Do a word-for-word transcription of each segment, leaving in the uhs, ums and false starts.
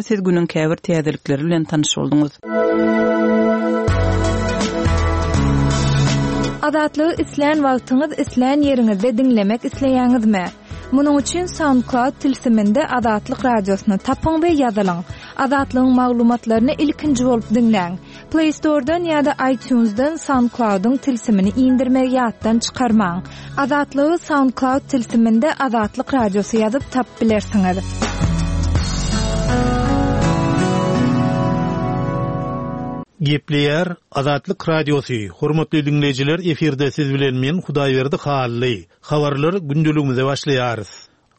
Siz günüň käbir täzelikleri bilen tanyş bolduňyz. Azatlygy islän wagtyňyz, islän ýeriňizde diňlemek isleýäňizmi? Munuň üçin SoundCloud tilsiminde Azatlyk radiosyny tapyň we ýazylyň. Azatlygyň maglumatlaryny ilkinji bolup diňläň. Play Store'dan ýa-da iTunes'dan SoundCloud'yň tilsimini indirmegi ýatdan çykarmaň. Azatlygy SoundCloud tilsiminde Azatlyk radiosy ýazyp tapyp bilersiňiz. Gepleýär Azatlyk Radiosy. Hormatly diňleýjiler, efirde siz bilen men Hudaýberdi Hally. Habarlar gündeligimize başlaýarys.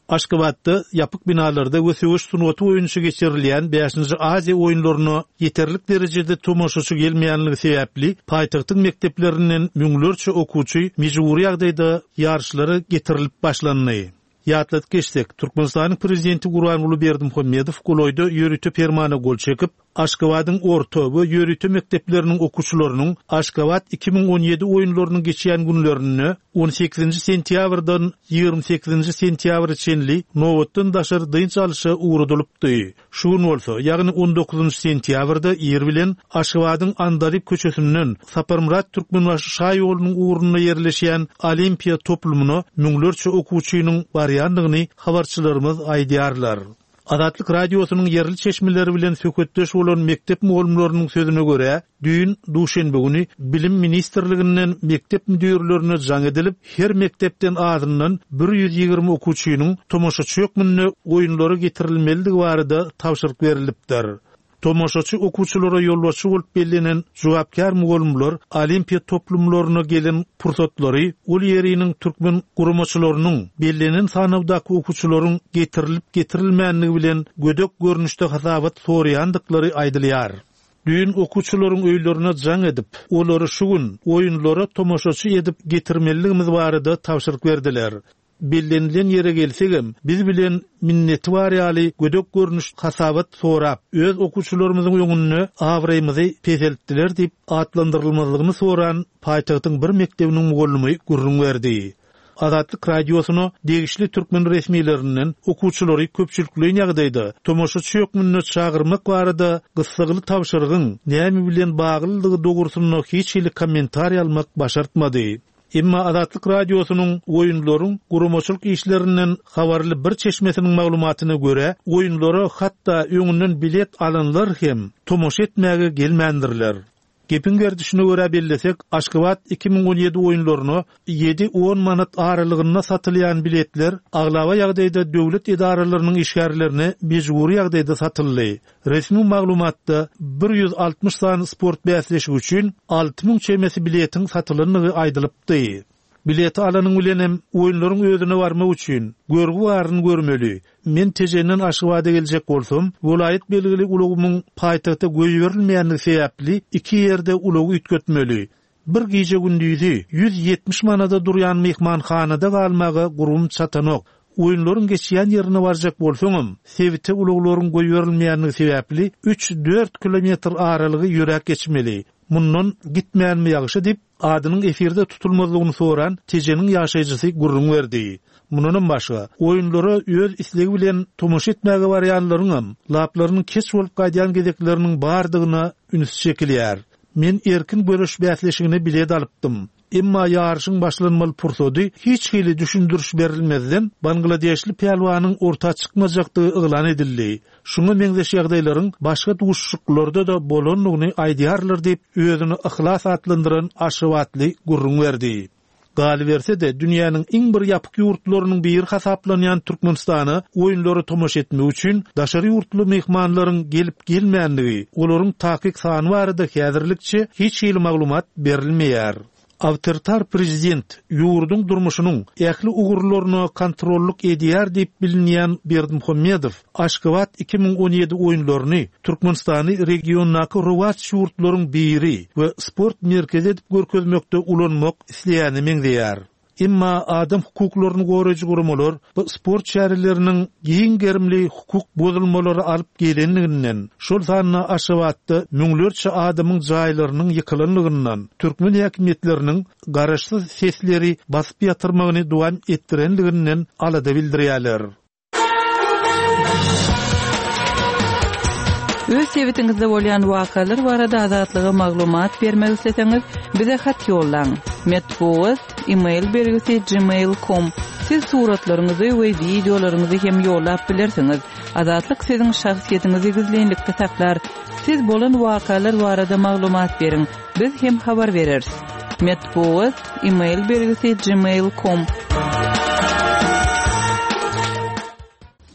Aşgabatda ýapyk binalarda we söweş sungaty boýunça geçirilýän bäşinji Aziýa oýunlaryna ýeterlik derejede tomaşaçy gelmeýänligi sebäpli paýtagtyň mekdeplerinden müňlerçe okuwçy mejbury ýagdaýda ýaryşlara getirilip başlandy. Ýatladyp geçsek, Türkmenistanyň prezidenti Gurbanguly Berdimuhamedow golaýda ýörite permana gol çekip, Aşgabadyň orta we ýörite mekdepleriniň okuwçylarynyň Aşgabat iki müň on ýedi oýunlarynyň geçýän günlerinde on sekizinji sentýabrdan ýigrimi sekizinji sentýabra çenli nobatdan daşary dynç alyşa ugradylypdy. Şu gün bolsa, ýagny on dokuzynjy sentýabrda ir bilen Aşgabadyň Andalyp köçesinden Saparmyrat Türkmenbaşy şaýolunyň ugrunda ýerleşýän Olimpiýa toplumyna müňlerçe okuwçynyň barýandygyny habarçylarymyz aýdýarlar. Azatlyk radiosynyň ýerli çeşmeleri bilen söhbetdeş bolan mekdep mugallymlarynyň sözüne görä, düýn duşenbe güni Bilim ministrliginden mekdep müdirlerine jaň edilip, her mekdepden azyndan bir ýüz ýigrimi okuwçynyň tomaşaçy hökmünde oýunlara getirilmelidigi barada tabşyryk berilipdir. Tomaşaçy okuwçylara ýolbaşçy bolup bellenen jogapkär mugallymlar Olimpiýa toplumlaryna gelen pursatlary ol ýeriniň türkmen guramaçylarynyň bellenen sanawdaky okuwçylaryň getirilip getirilmänligi bilen gödek görnüşde hasabat soraýandyklary aýdylýar. Düýn okuwçylaryň öýlerine jaň edip, olary şu gün oýunlara tomaşaçy edip getirmeliligimiz barada tabşyryk berdiler. Bellenilen ýere gelsegem, biz bilen minneti bar ýaly gödek görnüş hasabat sorap, öz okuwçylarymyzyň öňünde abraýymyzy peseltdiler diýip atlandyrylmazlygyny soran paýtagtyň bir mekdebiniň mugallymy gürrüň berdi. Azatlyk radiosyna degişli türkmen resmilerinden okuwçylary köpçülikleýin ýagdaýda tomaşaçy hökmünde çagyrmak barada gyssagly tabşyrygyň näme bilen baglydygy dogrusynda hiç hili kommentariý almak başartmady. Emma Azatlyk radiosynyň oýunlaryň guramaçylyk işlerinden habarly bir çeşmesiniň maglumatyna görä, oýunlara hatda öňünden bilet alanlar hem tomaşa etmäge gelmändirler. Gepiň gerdişine görä bellesek, Aşgabat iki müň on ýedi oýunlaryna ýedi on manat aralygynda satylýan biletler aglaba ýagdaýda döwlet edaralarynyň işgärlerine mejbury ýagdaýda satyldy. Resmi maglumatda bir ýüz altmyş sany sport bäsleşigi üçin alty müň çemesi biletiň satylandygy aýdylypdy. Bileti alanyň bilen hem oýunlaryň özüne barmak üçin görgi baryny görmeli. Men Tejenden Aşgabada geljek bolsam, welaýat belgili ulagymyň paýtagta goýberilmeýänligi sebäpli iki ýerde ulagy üýtgetmeli. Bir gije gündüzi ýüz ýetmiş manada durýan myhmanhanada galmaga gurum çatanok. Oýunlaryň geçýän ýerine barjak bolsaňam, sebite ulaglaryň goýberilmeýänligi sebäpli üç-dört kilometr aralygy ýöräp geçmeli. Mundan gitmänmi ýagşy diýip, adynyň efirde tutulmazlygyny soran Tejeniň ýaşaýjysy gürrüň berdi. Mundanam başga, oýunlara öz islegi bilen tomaşa etmäge barýanlaryňam laplarynyň keç bolup gaýdýan gezekleriniň bardygyna üns çekilýär. Men erkin görüş bäsleşigine bilet alypdym. Emma ýaryşyň başlanmaly pursady hiç hili düşündiriş berilmezden Bangladeşli pälwanyň orta çykmajakdygy yglan edildi. Şuňa meňzeş ýagdaýlaryň başga duşuşyklarda-da bolandygyny aýdýarlar diýip, özüni yhlas atlandyran Aşgabatly gürrüň berdi. Galyberse-de, dünýäniň iň bir ýapyk ýurtlarynyň biri hasaplanýan Türkmenistana oýunlara tomaşa etmek üçin daşary ýurtly myhmanlaryň gelip gelmänligi, olaryň takyk sany barada häzirlikçe hiç hili maglumat berilmeýär. Awtoritar prezident ýurduň durmuşynyň ähli ugurlaryna kontrollyk edýär diýip bilinýän Berdimuhamedow Aşgabat iki müň on ýedi oýunlaryny Türkmenistany regiondaky rowaç ýurtlaryň biri we sport merkezi edip görkezmekde ulanmak isleýäne meňzeýär. Emma adam hukuklaryny goraýjy guramalar bu sport çäreleriniň giň gerimli hukuk bozulmalary alyp gelenliginden, şol sanda Aşgabatda müňlerçe adamyň jaýlarynyň ýykylanlygyndan, türkmen häkimiýetleriniň garaşsyz sesleri basyp ýatyrmagyny dowam etdirenliginden alada bildirýärler. Öz sebitiňizde bolýan wakalar barada Azatlyga maglumat bermek isleseňiz, bize hat ýollaň. Metbugat e-mail belgisi gmail nokta com. Siz suratlaryňyzy we wideolaryňyzy hem ýollap bilersiňiz. Azatlyk siziň şahsyýetiňizi gizlinlikde saklar. Siz bolan wakalar barada maglumat beriň. Biz hem habar bereris. Metbugat e-mail belgisi gmail nokta com.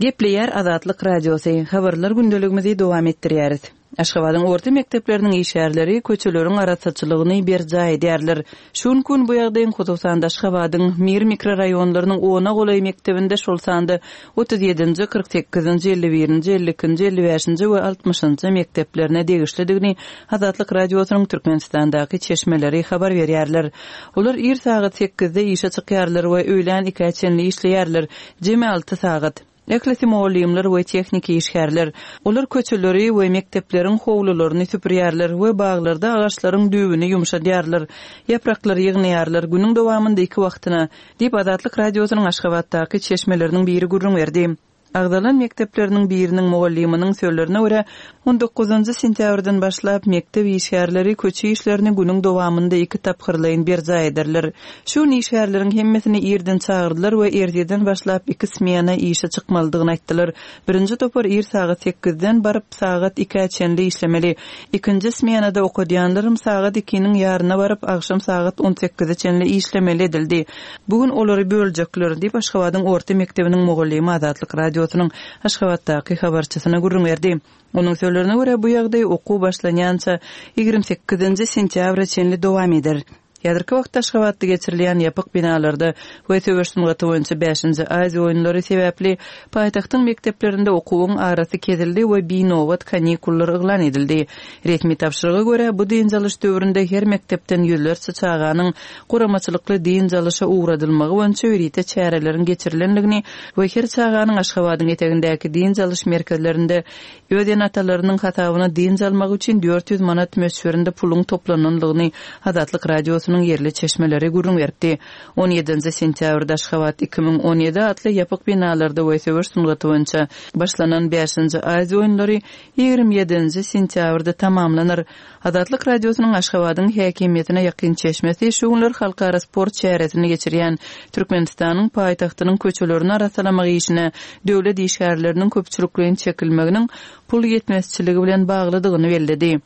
Gepleýär Azatlyk Radiosy. Habarlar gündeligimizi dowam etdirýäris. Aşgabadyň orta mekdepleriniň işgärleri köçeleriň arassaçylygyny berjaý edýärler. Şu gün bu ýagdaýyň hususan Aşgabadyň Mir mikrorayonlarynyň ona golaý mekdebinde şol sanda otuz ýedinji, kyrk sekizinji, elli birinji, elli ikinji, elli bäşinji we altmyşynjy mekdeplerine degişlidigini Azatlyk Radiosynyň Türkmenistandaky çeşmeleri habar berýärler. Olar ir sagat sekizde işe çykýarlar we öýlän ikä çenli işleýärler. Jemi alty sagat. Ählisi mugallymlar we tehniki işgärler. Olar köçeleri we mekdepleriň howlularyny süpürýärler we baglarda agaçlaryň düýbüni ýumşadýarlar. Ýapraklary ýygnaýarlar günüň dowamynda iki wagtyna, diýip Azatlyk Radiosynyň Aşgabatdaky çeşmeleriniň biri gürrüň berdi. Agzalan mekdepleriniň biriniň mugallymynyň sözlerine görä, on dokuzynjy sentýabrdan başlap mekdep işgärleri köçe işlerini günüň dowamynda iki tapgyrlaýyn berjaý ederler. Şu gün işgärleriň hemmesini irden çagyrdylar we erteden başlap iki smena işe çykmalydygyny aýtdylar. Birinji topar ir sagat sekizden baryp sagat ikä çenli işlemeli. Ikinji smenada okadýanlarym sagat ikiniň ýaryna baryp akşam sagat on sekize çenli işlemeli edildi. Bugün olary böljekler diýip Aşgabadyň orta mekdebiniň mugallymy Azatlyk Radiosynyň Aşgabatdaky habarçysyna gürrüň berdi. Onuň sözlerine görä bu ýagdaý okuw başlanýança ýigrimi sekizinji sentýabra çenli dowam eder. Häzirki wagtda Aşgabatda geçirilýän ýapyk binalarda we söweş sungaty boýunça bäşinji Aziýa oýunlary sebäpli paýtagtyň mekdeplerinde okuwyň arasy kesildi we binobat kanikullar yglan edildi. Resmi tabşyryga görä bu dynç alyş döwründe her mekdepden ýüzlerçe çaganyň guramaçylykly dynç alyşa ugradylmagy boýunça ýörite çäreleriň geçirilendigini we her çaganyň Aşgabadyň etegindäki dynç alyş merkezlerinde öz ene-atalarynyň hasabyna dynç almak üçin dört ýüz manat möçberinde puluň toplanandygyny Azatlyk Radiosynyň ýerli çeşmeleri gürrüň berdi. on ýedinji sentýabrda Aşgabat iki müň on ýedi atly ýapyk binalarda we söweş sungaty boýunça başlanan bäşinji Aziýa oýunlary ýigrimi ýedinji sentýabrda tamamlanar. Azatlyk Radiosynyň Aşgabadyň häkimiýetine ýakyn çeşmesi şu günler halkara sport çäresini geçirýän Türkmenistanyň paýtagtynyň köçelerini arassalamak işine döwlet işgärleriniň köpçülikleýin çekilmeginiň pul ýetmezçiligi bilen baglydygyny belledi.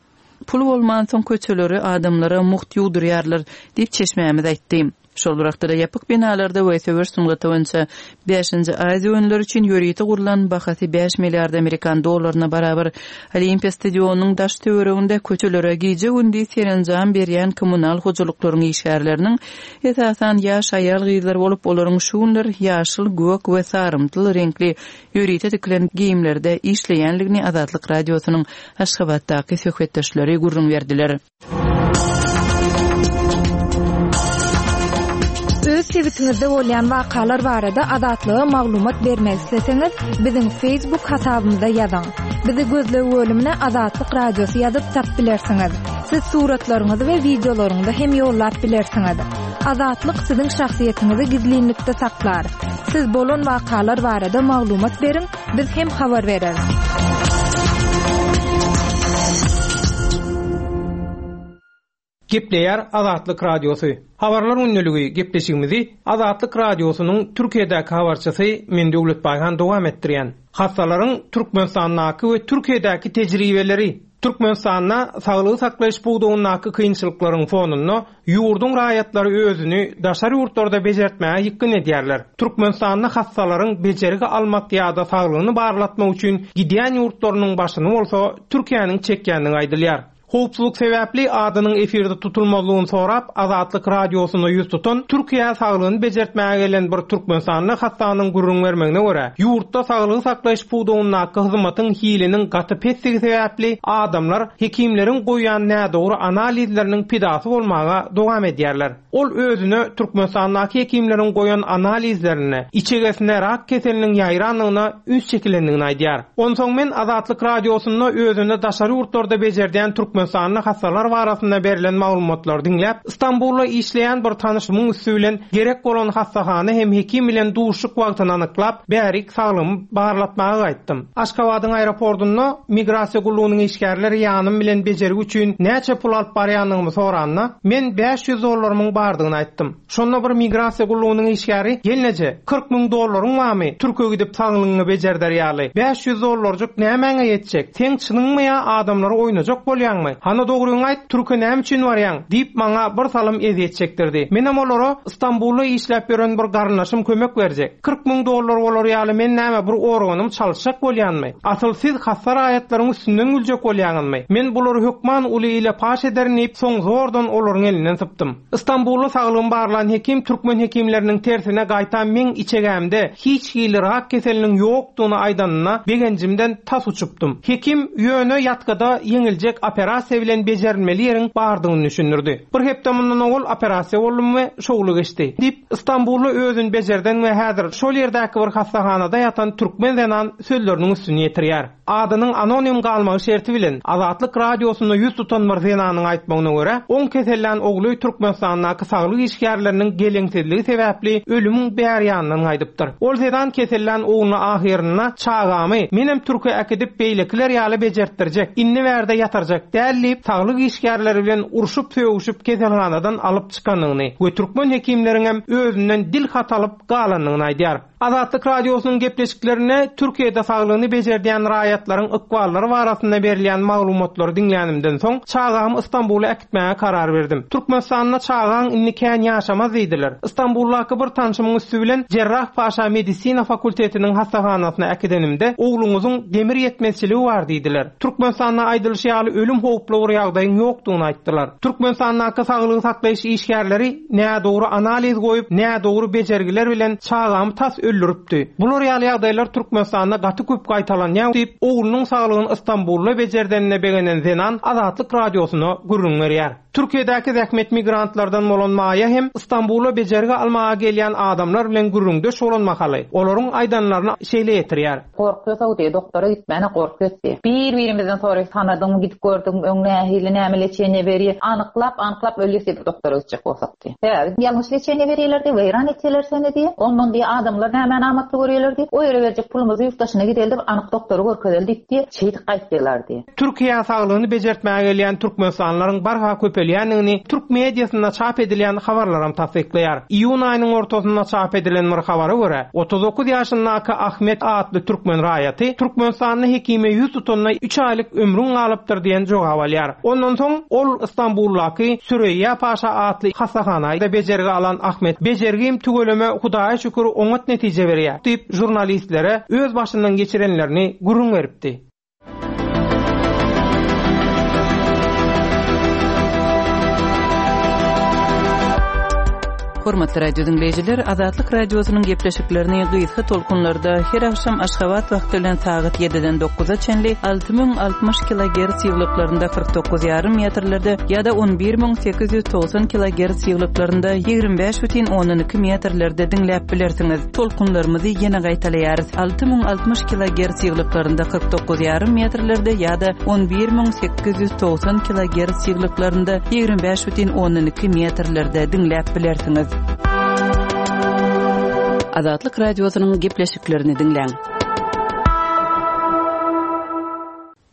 Pul bolmansoň köçeleri adamlara mugt ýuwdurýarlar diýip çeşmämiz aýtdy. Şol bir wagtda ýapyk binalarda we söweş sungaty boýunça bäşinji Aziýa oýunlary üçin ýörite gurlan bahasy bäş milliard amerikan dollaryna barabar Olimpiýa stadionynyň daş töwereginde köçelere gije-gündiz serenjam berýän kommunal hojalyklaryň işgärleriniň esasan ýaş aýal-gyzlar bolup, olaryň şu günler ýaşyl, gök we sarymtyl reňkli ýörite tikilen geýimlerde işleýänligini Azatlyk Radiosynyň Aşgabatdaky söhbetdeşleri gürrüň berdiler. Öz sebitiňizde bolýan wakalar barada Azatlyga maglumat bermek isleseňiz, biziň Facebook hasabymyzda ýazyň. Bizi gözleg bölümine Azatlyk Radiosy ýazyp tap bilersiňiz. Siz suratlaryňyzy we wideolaryňyzy hem ýollap bilersiňiz. Azatlyk siziň şahsyýetiňizi gizlinlikde saklar. Siz bolan wakalar barada maglumat beriň, biz hem habar bereris. Gepleýär Azatlyk Radiosy. Habarlar gündeligi gepleşigimizi Azatlyk Radiosynyň Türkiýedäki habarçysy Men Döwlet Baýhan dowam etdirýän. Hassalaryň Türkmenistandaky we Türkiýedäki tejribeleri. Türkmenistanda saglygy saklaýyş pudagyndaky kynçylyklaryň fonunda ýurduň raýatlary özüni daşary ýurtlarda bejertmäge ýykgyn edýärler. Türkmenistanda hassalaryň bejergi almak ýa-da saglygyny barlatmak üçin gidýän ýurtlarynyň başyny bolsa Türkiýäniň çekýändigi aýdylýar. Howpsuzlyk sebäpli adynyň efirde tutulmazlygyny sorap Azatlyk Radiosyna ýüz tutan Türkiýä saglygyny bejertmäge gelen bir Türkmenistanly hassanyň gürrüň bermegine görä, ýurtda saglygy saklaýyş pudagyndaky hyzmatyň hiliniň gaty pesdigi sebäpli adamlar hekimleriň goýýan nädogry analizleriniň pidasy bolmaga dowam edýärler. Ol özüne Türkmenistandaky hekimleriň goýan analizlerine içegesine rak keseliniň ýaýrandygyna üns çekilendigini aýdýar. Onsoň men Azatlyk Radiosynda özüne daşary ýurtlarda bejerdýän Türkmen Türkmenistanda hassalar barasynda berlen maglumatlary diňläp, Istanbulda işleýän bir tanyşymyň üsti bilen gerek bolan hassahana hem hekim bilen duşuşyk wagtyny anyklap, bärik saglygymy barlatmaga gaýtdym. Aşgabadyň aeroportunda migrasiýa gullugynyň işgärleri ýanym bilen bejergi üçin näçe pul alyp barýandygymy soranda, men bäş ýüz dollarymyň bardygyny aýtdym. Şonda bir migrasiýa gullugynyň işgäri, "Gelneje, kyrk müň dollaryň barmy? Türkiýe gidip saglygyňy bejerder ýaly. bäş ýüz dollarjyk nämäňe ýetjek? Sen çynyňmy ýa adamlary oýnajak bolýaňmy? Hany dogryňy aýt, Türkiýe näme üçin barýaň?" diýip maňa bir salym eziyet çekdirdi. Menem olara Istanbulda işläp ýören bir garyndaşym kömek berjek. kyrk müň dollar bolar ýaly men näme bir organym çalyşjak bolýanmy? Asyl siz hassa raýatlaryň üstünden güljek bolýaňyzmy? Men bulary hökman uly ile paş ederin diýip, soň zordan olaryň elinden sypdym. Istanbulda saglygym barlan hekim türkmen hekimleriniň tersine gaýta meň içegämde hiç hili rak keseliniň ýokdugyny aýdanyna begenjimden tas uçupdym. Hekim ýöne ýatgada ýeňiljek operasiýa bilen bejerilmeli ýeriň bardygyny düşündirdi. Bir hepde mundan owal operasiýa boldum we şowly geçdi. Diýip Istanbulda özün bejerden we häzir şol ýerdäki bir hassahanada ýatan türkmen zenan sözleriniň üstüni ýetirýär. Adynyň anonim galmagy şerti bilen Azatlyk radiosynda ýüz tutan bir zenanyň aýtmagyna görä, on kesellän ogly Türkmenistandaky saglyk işgärleriniň geleňsizligi sebäpli ölümiň bär ýanyndan gaýdypdyr. Ol zenan kesellän ogluny ahyrynda çagamy menem Türkiýe äkidip beýlekiler ýaly bejertdirjek, indi bärde ýatarjak däl diýip saglyk işgärleri bilen urşup sögüşip keselhanadan alyp çykanyny we türkmen hekimleriň hem özünden dil hat alyp galanyny aýdýar. Azatlyk radiosynyň gepleşiklerine Türkiýede saglygyny bejerdýän raýatlaryň ykballary barasynda berilýän maglumatlary diňlänimden soň çagamy Istanbula äkitmäge karar berdim. Türkmenistanda çagaň indi kän ýaşamaz diýdiler. Istanbuldaky bir tanşymyň üsti bilen Cerrahpaşa Medisina fakultetiniň hassahanasyna äkidenimde ogluňyzyň demir ýetmezçiligi bar diýdiler. Türkmenistanda aýdylyşy ýaly ölüm howply bir ýagdaýyň ýokdugyny aýtdylar. Türkmenistandaky saglygy saklaýyş işgärleri nädogry analiz goýup, nädogry bejergiler bilen çagamy tas öldüripdi. Bular ýaly ýagdaýlar Türkmenistanda gaty köp gaýtalanýar diýip, oglunyň saglygyny Istanbulda bejerdenine begenen zenan Azatlyk radiosyna gürrüň berýär. Türkiýedäki zähmet migrantlardan bolan Maýa hem Istanbula bejergi almaga gelýän adamlar bilen gürrüňdeş bolan mahaly olaryň aýdanlaryny şeýle ýetirýär. Gorkuýsa diýe, doktora gitmäne gorkuýsa diýe. Bir-birimizden soraýyp tanadyň, gidip gördüm, öň nähili näme leçeniýe berýär. Anyklap, anyklap ölýär doktora gitjek bolsak diýe. Sebäbi ýalňyş leçeniýe berýärler diýe, weýran etýärler seni diýe. Ondan diýe adamlar näme amatly görýärler diýe. O ýere berjek pulumyzy ýurt daşyna gideldi, anyk doktory görkezeli diýip diýe, şeýdip gaýtdylar diýe. Türkiýe saglygyny bejertmäge gelýän Türkmenistanlylaryň barha köpelýändigini türk mediasynda çap edilýän habarlaram tassyklaýar. Iýun aýynyň ortasynda çap edilen bir habara görä, otuz dokuz ýaşyndaky Ahmet atly türkmen raýaty Türkmenistanda hekime ýüz tutanda üç aýlyk ömrüň galypdyr diýen jogap alýar. Ondan soň ol Istanbuldaky Süreyya Paşa atly hassahanada bejergi alan Ahmet bejergim tüweleme Hudaýa şükür oňat netije berýär diýip jurnalistlere öz başyndan geçirenlerini gürrüň beripdi. Hormatly radio dinleýjiler, Azatlyk radiosynyň gepleşiklerini gysga tolkunlarda her akşam Aşgabat wagty bilen sagat ýediden dokuza çenli alty müň altmyş kilogertz ýyglyklarynda kyrk dokuz ýarym metrlerde ýa-da on bir müň sekiz ýüz togsan kilogertz ýyglyklarynda ýigrimi bäş bütin ondan iki metrlerde diňläp bilersiňiz. Tolkunlarymyzy ýene gaýtalaýarys. Alty müň altmyş kilogertz ýyglyklarynda kyrk dokuz ýarym metrlerde ýa-da on bir müň sekiz ýüz togsan kilogertz ýyglyklarynda ýigrimi bäş bütin ondan iki metrlerde diňläp bilersiňiz. Azatlyk radiosynyň gepleşiklerini diňläň.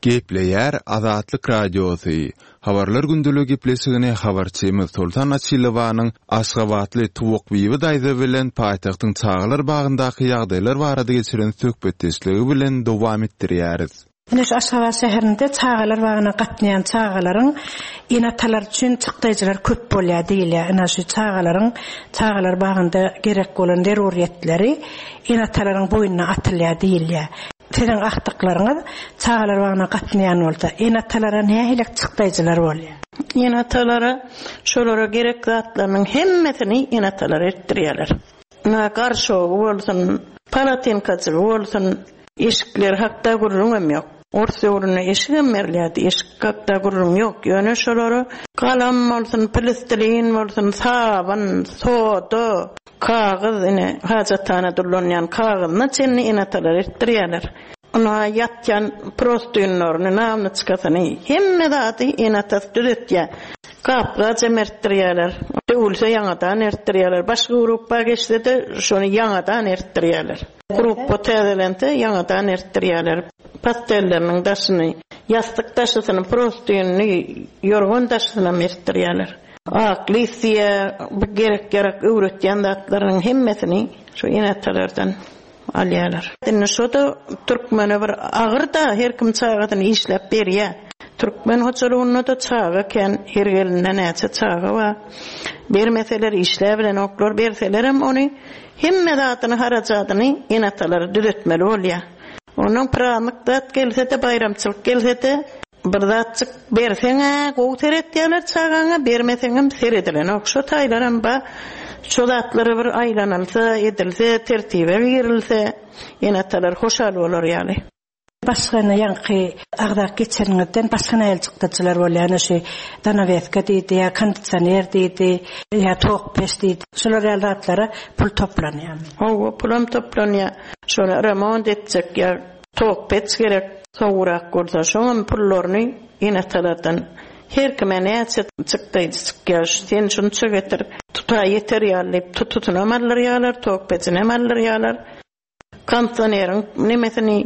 Gepleýär Azatlyk radiosy. Habarlar gündeligi gepleşigini habarçymyz Soltan Açylowanyň Aşgabatly Tuwakbibi daýza bilen paýtagtyň çagalar bagyndaky ýagdaýlar barada geçiren söhbetdeşligi bilen dowam etdirýäris. Ine şu Aşgabat şäherinde çagalar bagyna gatnaýan çagalaryň ene-atalar üçin çykdaýjylar köp bolýar diýilýär. Ine şu çagalaryň çagalar bagynda gerek bolan zeruriyetleri ene-atalaryň boýnuna atylýar diýilýär. Siziň agtyklaryňyz çagalar bagyna gatnaýan bolsa, ene-atalara nähili çykdaýjylar bolýar? Ene-atalara şolara gerek zatlarynyň hemmesini ene-atalar etdirýärler. Na garşogy bolsun, palatinkajygy bolsun, eşikler hakda gürrüň hem ýok. Ors döwründe eşik hem berilýärdi, eşik hakda gürrüň ýok. Ýöne şolara galam bolsun, plastilin bolsun, sabyn, soda, kagyz, ine hajathana durlanýan kagyzyna çenli ene-atalar etdirýärler. Ynha ýatýan prostynlaryny, namnyçkasyny, hemme zady ene-atasy düzetýär. Gap-gajam ertdirýärler. Döwülse ýaňadan ertdirýärler. Başga gruppa geçse-de şony ýaňadan ertdirýärler. Gruppa täzelense ýaňadan ertdirýärler. Pastelleriniň daşyny, ýassyk daşysyny, prostynyny, ýorgan daşysynam ertdirýärler. Ak lisiýa, bu gerek-ýarak öwretýän zatlarynyň hemmesini şu ene-atalardan alýarlar. Indi şo-da türkmene bir agyr-da, her kim çagasyny işläp berýär. Türkmen hojalygynda-da çaga kän, her gelinde näçe çaga bar. Bermeseler işläbilenoklar, berselerem ony hemme zadyny, harajadyny ene-atalary düzetmeli bolýar. Ondan praznik zat gelse-de, baýramçylyk gelse-de, bir zatjyk berseň-ä gowy seretýärler çagaňa, bermeseňem seredilenok. Şo taýlaram bar. Şo zatlara bir aýlanylsa, edilse, tertibe girilse, ene-atalar hoşal bolar ýaly. Başga ine ýaňky agzap geçeniňizden başga nähili çykdajylar bolýar? Ine şu zanaweska diýdi, ýa kondisioner diýdi, ýa tok peç diýdi. Şular ýaly zatlara pul toplanýarmy? Hawa, pulam toplanýar. Şony remont etjek ýa tok peç gerek, sowugrak bolsa, şoňam pullaryny ene-atalardan her kime näçe çykdaýjy çykýar, sen şunça getir, tuta ýeter ýaly diýip, tutusynam aldyrýarlar, tok peçinem aldyrýarlar. Kondisioneriň nemesini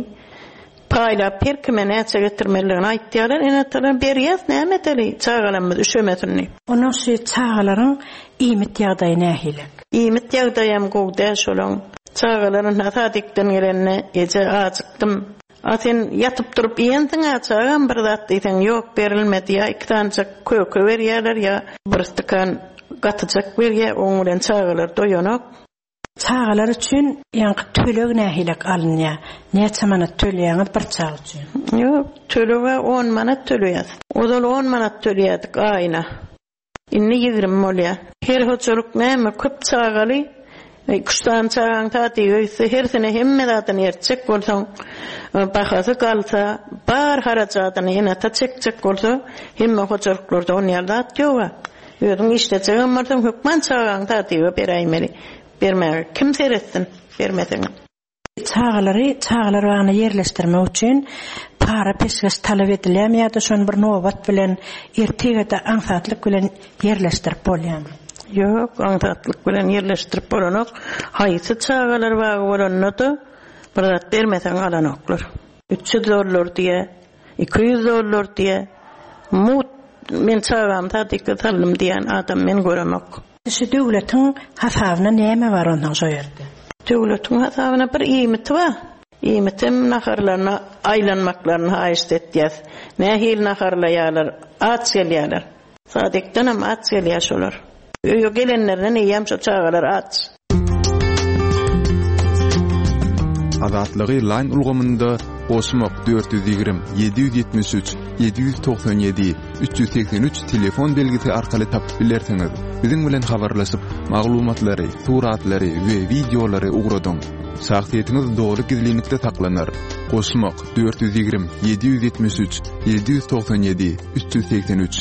paýlap her kime näçe getirmelidigini aýtýarlar, ene-atalar berýäs, näme edeli, çagalarymyz üşemesin diýip. Onuň şu çagalaryň iýmit ýagdaýy nähili? Iýmit ýagdaýam gowy däl şolaň. Çagalar ynha sadikden gelende, eje ajykdym. A sen ýatyp turup iýensiň-ä çagam bir zat diýseň, ýok berilmedi, ýa iki sanyjak köke berýärler, ýa bir stakan gatyjak berýär, oň bilen çagalar doýanok. Çagalar üçin ýaňky töleg nähilek alynýar? Näçe manat töleýäňiz bir çaga üçin? Ýok, töleg-ä on manat töleýäs. Ozal on manat töleýärdik aýyna. Indi ýigrimi bolýar. Her hojalyk näme, köp çagaly, iki-üç sany çagaň sadyga gitse, hersine hemme zadyny ertjek bolsaň, bahasy galsa, bar harajadyny ene-ata çekjek bolsa, hemme hojalyklarda on ýaly zat ýog-a. Özüň işlejegem bolsaň, hökman çagaňy sadyga beräýmeli. Bermäge kim seretsin, bermeseňem. Çagalary çagalar bagyna ýerleşdirmek üçin para-peşgeş talap edilýärmi ýa-da şony bir nobat bilen ertir-de aňsatlyk bilen ýerleşdirip bolýarmy? Ýok, aňsatlyk bilen ýerleşdirip bolanok. Haýsy çagalar bagy bolanda-da bir zat bermeseň alanoklar. Üç ýüz dollar diýe, iki ýüz dollar diýe, mugt men çagamy sadyka saldym diýen adam men göremok. Şu döwletiň hasabyna näme bar ondan şo ýerde? Döwletiň hasabyna bir iýmiti bar. Iýmitem naharlaryna aýlanmaklaryny haýyşt etýäs. Nähili naharlaýarlar, aç gelýärler. Sadikdenem aç gelýär şolar. Öýe gelenlerinden eýýäm şo çagalar aç. Azatlygy Line ulgamynda goşmak dört ýüz ýigrimi, ýedi ýüz ýetmiş üç, ýedi ýüz togsan ýedi, üç ýüz segsen üç telefon belgisi arkaly tapyp bilersiňiz. Biziň bilen habarlaşyp, maglumatlary, suratlary we wideolary ugradyň. Şahsyýetiňiz doly gizlinlikde saklanar. Goşmak dört ýüz ýigrimi, ýedi ýüz ýetmiş üç, ýedi ýüz togsan ýedi, üç ýüz segsen üç.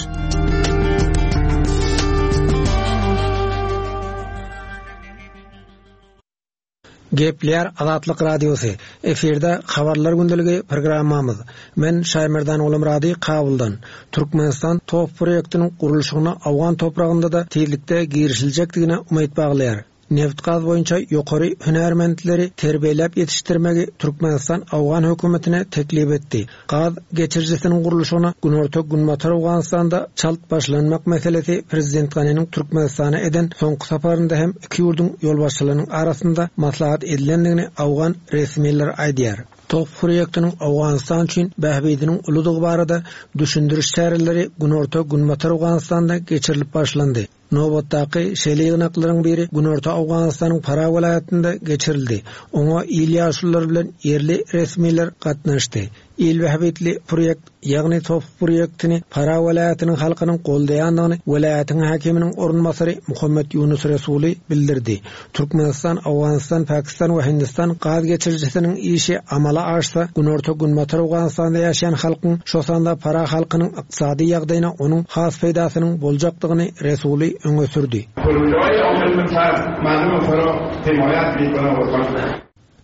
Gepleýär Azatlyk Radiosy. Efirde Habarlar gündeligi programmamyz. Men Şaýmerdan Gulumrady Kabuldan. Türkmenistan TOP proýektiniň gurluşygyna Awgan topragynda da tizlikde girişiljekdigine umyt baglaýar. Neft-gaz boýunça ýokary hünärmentleri terbiýeläp ýetişdirmegi Türkmenistan Awgan hökümetine teklip etdi. Gaz geçirijisiniň gurluşygyna Günorta-Günbatar Owganystanda çalt başlanmak meselesi Prezident Ganiniň Türkmenistana eden soňky saparynda hem iki ýurduň ýolbaşçylarynyň arasynda maslahat edilendigini Awgan resmileri aýdýar. TOP proýektiniň Owganystan üçin bähbidiniň uludygy barada düşündiriş çäreleri Günorta-Günbatar Owganystanda geçirilip başlandy. Nobatdaky şeýle ýygnaklaryň biri Günorta Owganystanyň Farah welaýatynda geçirildi. Oňa il ýaşulular bilen ýerli resmiler gatnaşdy. Il bähbitli proýekt, ýagny TOP proýektini Farah welaýatynyň halkynyň goldaýandygyny welaýatyň häkiminiň orunbasary Muhammet Ýunus Resuli bildirdi. Türkmenistan, Owganystan, Pakistan we Hindistan gaz geçirijisiniň işi amala aşsa, Günorta-Günbatar Owganystanda ýaşaýan halkyň, şo sanda Farah halkynyň ykdysady ýagdaýyna onuň has peýdasynyň boljakdygyny Resuli öňe sürdi.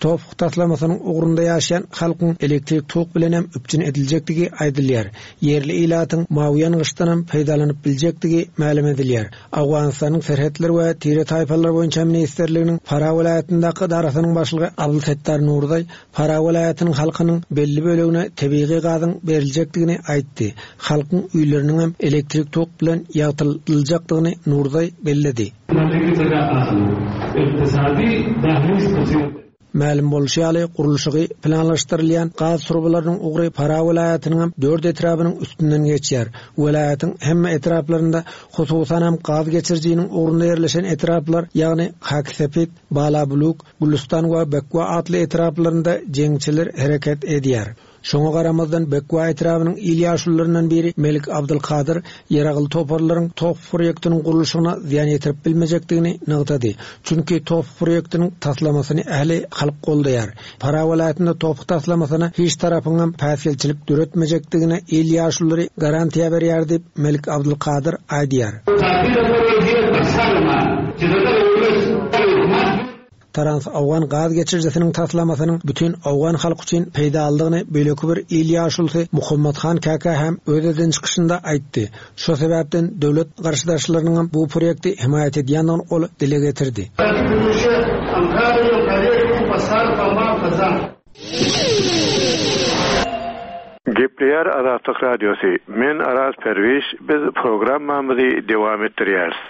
Topuk taslamasynyň ugrunda ýaşaýan halkyň elektrik tok bilen hem üpjün ediljekdigi aýdylýar. Ýerli ilatyň mawy ýangyçdan hem peýdalanyp biljekdigi mälim edilýär. Awganystanyň serhetler we tire taýpalar boýunça ministrliginiň Farah welaýatyndaky edarasynyň başlygy Abdul Settar Nurzaý Farah welaýatynyň halkynyň belli bölegine tebigy gazyň beriljekdigini aýtdy. Halkyň öýleriniň hem elektrik tok bilen ýagtyljakdygyny Nurzaý belledi. Mälim bolşy ýaly gurluşygy planlaşdyrylýan gaz turbalarynyň ugry Farah welaýatynyň dört etrabynyň üstünden geçýär. Welaýatyň hemme etraplarynda hususan hem gaz geçirijiniň ugrunda ýerleşen etraplar, ýagny Hakisepit, Balabuluk, Gülistan we Bekwa atly etraplarynda jeňçiler hereket edýär. Şoňa garamazdan Bekwa etrabynyň il ýaşulularyndan biri Melik Abdulkadyr ýeragly toparlaryň top proýektiniň gurluşygyna zyýan ýetirip bilmejekdigini nygtady. Çünki top proýektiniň taslamasyny ähli halk goldaýar. Farah welaýatynda top taslamasyna hiç tarapyň päsgelçilik döretmejekdigine il ýaşululary garantiýa berýär diýip Melik Abdulkadyr aýdýar. Trans Awgan gaz geçirijisiniň taslamasynyň bütün Awgan halky üçin peýdalydygyny beýleki bir il ýaşulusy Muhammad Han Kaka hem öz eden çykyşynda aýtdy. Şo sebäpden döwlet garşydaşlarynyň bu proýekti himaýat edýändigini ol dile getirdi. Gepleýär Azatlyk Radiosy. Men Araz Perwiş, biz programmamyzy dowam etdirýäris.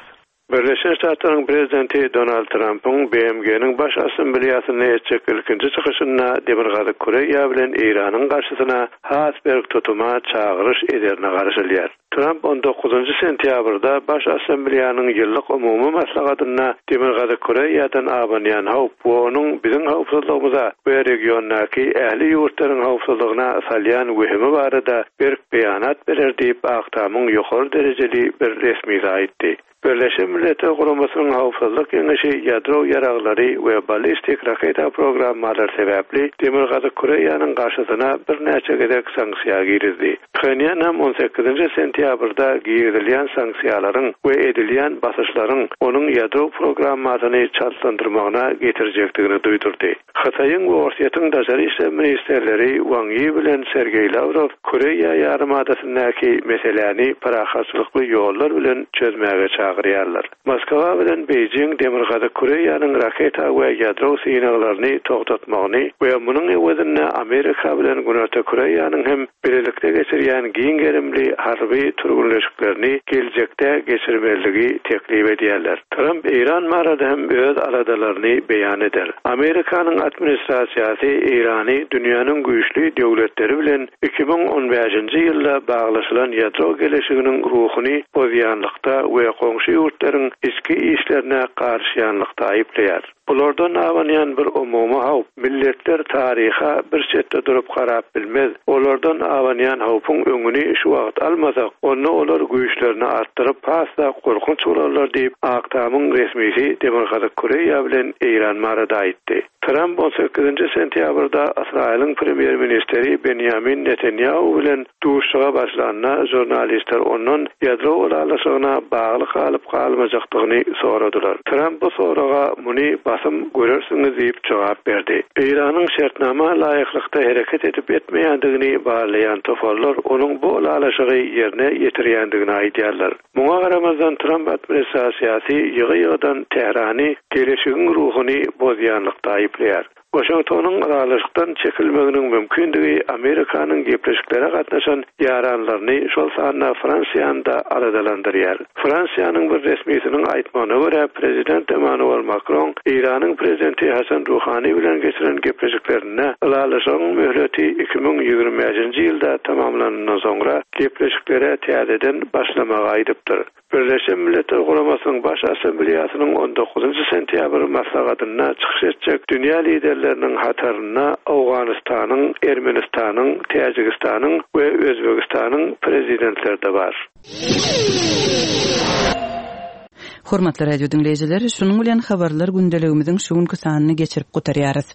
Birleşen Ştatlaryň prezidenti Donald Trumpyň B M G-niň baş assambleýasynda etjek ilkinji çykyşynda Demirgazyk Koreýa bilen Eýranyň garşysyna has berk tutuma çagyryş ederine garaşylýar. Trump on dokuzynjy sentýabrda baş assambleýanyň ýyllyk umumy maslahatynda Demirgazyk Koreýadan abanýan howp we onuň biziň howpsuzlygymyza we regiondaky ähli ýurtlaryň howpsuzlygyna salýan wehimi barada berk beýanat berer diýip Ak Tamyň ýokary derejeli bir resmisi aýtdy. Birleşen Milletler Guramasynyň Howpsuzlyk Geňeşi ýadro ýaraglary we ballistik raketa programmalary sebäpli Demirgazyk Koreýanyň garşysyna birnäçe gezek sanksiýa girizdi. Pxenýan hem on sekizinji sentýabrda girizilýän sanksiýalaryň we edilýän basyşlaryň onuň ýadro programmasyny çaltlandyrmagyna getirjekdigini duýdurdy. Hytaýyň we Orsýetiň daşary işler ministerleri Wang Yi bilen Sergeý Lawrow Koreýa ýarymadasyndaky meseläni parahatçylykly ýollar bilen çözmäge çagyrýarlar. Moskwa bilen Beýjing Demirgazyk Koreýanyň raketa we ýadro synaglaryny togtatmagyny we munuň öwezinde Amerika bilen Günorta Koreýanyň hem birlikde geçirýän giň gerimli harby türgünleşiklerini geljekde geçirmeligi teklip edýärler. Trump Eýran barada hem öz aladalaryny beýan eder. Amerikanyň administrasiýasy Eýrany dünýäniň güýçli döwletleri bilen iki müň on bäşinji ýylda baglaşylan ýadro geleşiginiň ruhuny bozýanlykda we goňşy ýurtlaryň içki işlerine garşyýanlykda aýyplaýar. Bulardan abanýan bir umumy howp, milletler taryha bir çetde durup garap bilmez. Olardan abanýan howpuň öňüni şu wagt almasak, onda olar güýçlerini artdyryp has-da gorkunç bolarlar diýip Ak Tamyň resmisi Demirgazyk Koreýa bilen Eýran barada aýtdy. Trump on sekizinji sentýabrda Ysraýylyň premýer-ministri Benjamin Netanyahu bilen duşuşyga başlanda jurnalistler ondan ýadro ylalaşygyna bagly galyp galmajakdygyny soradylar. Trump bu soraga muny basym görersiňiz diýip jogap berdi. Eýranyň şertnama laýyklykda hereket edip etmeýändigini barlaýan toparlar onuň bu ylalaşygy ýerine ýetirýändigini aýdýarlar. Muňa garamazdan Trump administrasiýasy ýygy-ýygydan Tährany geleşigiň ruhuny bozýanlykda aýyplaýar. Waşingtonyň ylalaşykdan çekilmeginiň mümkindigi Amerikanyň gepleşiklere gatnaşan ýaranlaryny şol sanda Fransiýany-da aladalandyrýar. Fransiýanyň bir resmisiniň aýtmagyna görä prezident Emmanuel Macron Eýranyň prezidenti Hasan Ruhani bilen geçiren gepleşiklerinde ylalaşygyň möhleti iki müň ýigrimi bäşinji ýylda tamamlanandan soňra gepleşiklere täzeden başlamagy aýdypdyr. Birleşen Milletler Guramasynyň Baş Assambleýasynyň on dokuzynjy sentýabr maslahatynda çykyş etjek dünýä liderleriniň hatarynda Owganystanyň, Ermenistanyň, Täjigistanyň we Özbegistanyň prezidentleri de bar. Hormatly radio diňleýjiler, şunuň bilen habarlar gündeligimiziň şu günki sanyny geçirip gutarýarys.